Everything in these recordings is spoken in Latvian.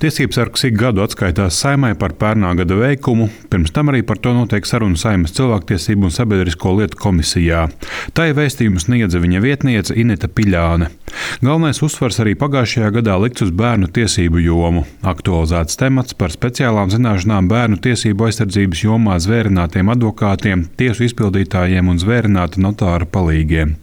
Tiesībsargs ik gadu atskaitās Saeimai par pērnā gada veikumu, pirms tam arī par to notiek saruna Saeimas cilvēktiesību un sabiedrisko lietu komisijā. Tai vēstījumu sniedza viņa vietniece Ineta Piļāne. Galvenais uzsvars arī pagājušajā gadā likts uz bērnu tiesību jomu. Aktualizēts temats par speciālām zināšanām bērnu tiesību aizsardzības jomā zvērinātiem advokātiem, tiesu izpildītājiem un zvērināta notāra palīgiem.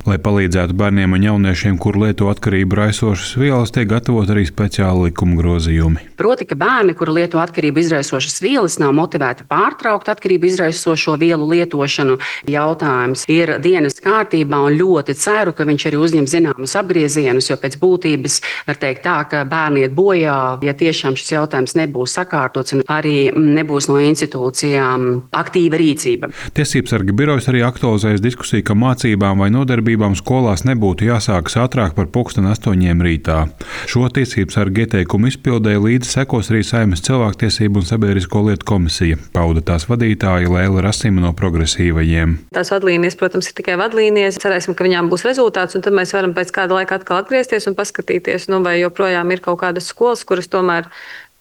Lai palīdzētu bērniem un jauniešiem, kur lieto atkarību raisošas vielas, tiek gatavot arī speciāli likuma grozījumi. Proti, ka bērni, kuri lieto atkarību izraisošas vielas, nav motivēti pārtraukt atkarību izraisošo vielu lietošanu. Jautājums ir dienas kārtībā un ļoti ceru, ka viņš arī uzņem zināmus apgriezienus, jo pēc būtības var teikt tā, ka bērni iet bojā, ja tiešām šis jautājums nebūs sakārtots un arī nebūs no institūcijām aktīva rīcība. Tiesībsarga birojas arī aktualizējas diskusiju, ka mācībām vai nodarbībām skolās nebūtu jāsākas ātrāk par 8:00 rītā. Šo tiesībsarga ieteikumu izpildēja līdzi sekos arī Saeimas cilvēktiesību un sabiedrisko lietu komisija, pauda tās vadītāja Lēla Rasima no Progresīvajiem. Tās vadlīnijas, protams, ir tikai vadlīnijas. Cerēsim, ka viņām būs rezultāts, un tad mēs varam pēc kāda laika atkal atgriezties un paskatīties, vai joprojām ir kaut kādas skolas, kuras tomēr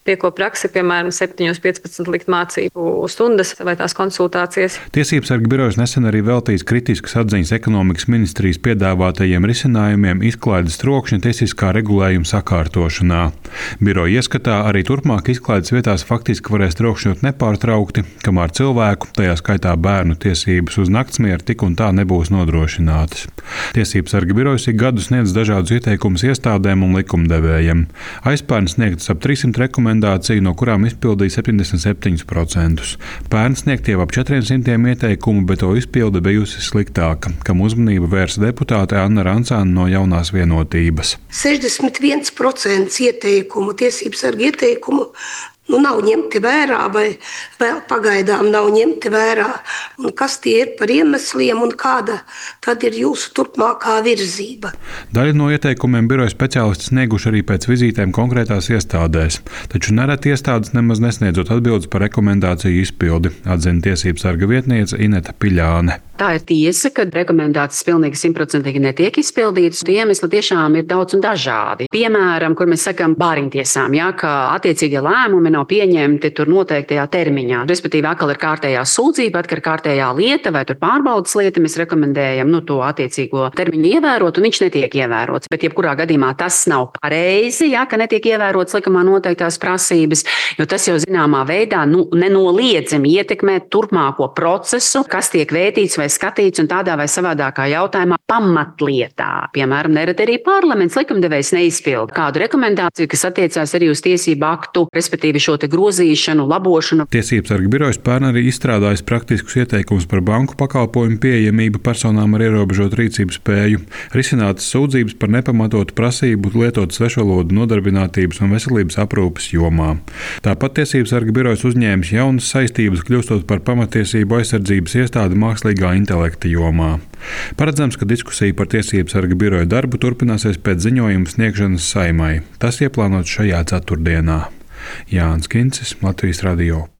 pieko praksi, piemēram, 7:15 likt mācību stundas vai tās konsultācijas. Tiesībsarga birojas nesen arī veltīs kritiskas atziņas ekonomikas ministrijas piedāvātajiem risinājumiem izklaides trokšņa tiesiskā regulējuma sakārtošanā. Biroja ieskatā arī turpmāk izklaides vietās faktiski varēs trokšņot nepārtraukti, kamēr cilvēku, tajā skaitā bērnu tiesības uz naktsmieru tik un tā nebūs nodrošinātas. Tiesībsarga birojas ik gadu sniedz dažādus ieteikumus iestādēm un likumdevējiem. Aizpērn sniegtas ap 300 rekomendāciju, no kurām izpildīja 77%. Pērn sniegt jau ap 400 ieteikumu, bet to izpilde bijusi sliktāka, kam uzmanību vērsa deputāte Anna Rancāne no Jaunās vienotības. 61% ieteikumu, tiesībsarga ieteikumu nav ņemti vērā vai vēl pagaidām nav ņemti vērā. Un kas tie ir par iemesliem un kāda tad ir jūsu turpmākā virzība? Daļu no ieteikumiem biroja speciālisti snieguši arī pēc vizītēm konkrētās iestādēs, taču nereti iestādes nemaz nesniedzot atbildes par rekomendāciju izpildi, atzina tiesībsarga vietniece Ineta Piļāne. Tā ir tiesa, ka rekomendācijas pilnīgi 100% netiek izpildītas. Iemesli tiešām ir daudz un dažādi. Piemēram, kur mēs sakām bāriņtiesām, ka attiecīgie lēmumi nav pieņemti tur noteiktajā termiņā. Respektīvi, atkal ir kārtējā sūdzība, atkal ir kārtējā lieta vai tur pārbaudas lieta. Mēs rekomendējam to attiecīgo termiņu ievērot, un viņš netiek ievērots. Bet jebkurā gadījumā tas nav pareizi, ka netiek ievērots likumā noteiktās prasības, jo tas jau zināmā veidā nenoliedzami ietekmē turpmāko procesu, kas tiek vērtīts vai skatīts un tādā vai savādākā jautājumā pamatlietā. Piemēram, nereti arī parlaments likumdevējs neizpilda kādu rekomendāciju, kas attiecās arī uz tiesību aktu, respektīvi šo te grozīšanu, labošanu. Tiesībsarga birojas pērn arī izstrādājis praktiskus ieteikumus par banku pakalpojumu pieejamību personām ar ierobežotu rīcības spēju, risinātas sūdzības par nepamatotu prasību lietot svešvalodu nodarbinātības un veselības aprūpes jomā. Tāpat tiesībsarga birojas uzņēmis jaunas saistības, kļūstot par pamatiesību aizsardzības iestādi mākslīgā intelekta jomā. Paredzams, ka diskusija par tiesībsarga biroja darbu turpināsies pēc ziņojuma sniegšanas Saeimai. Tas ieplānots šajā ceturtdienā. Jānis Kincis, Latvijas Radio.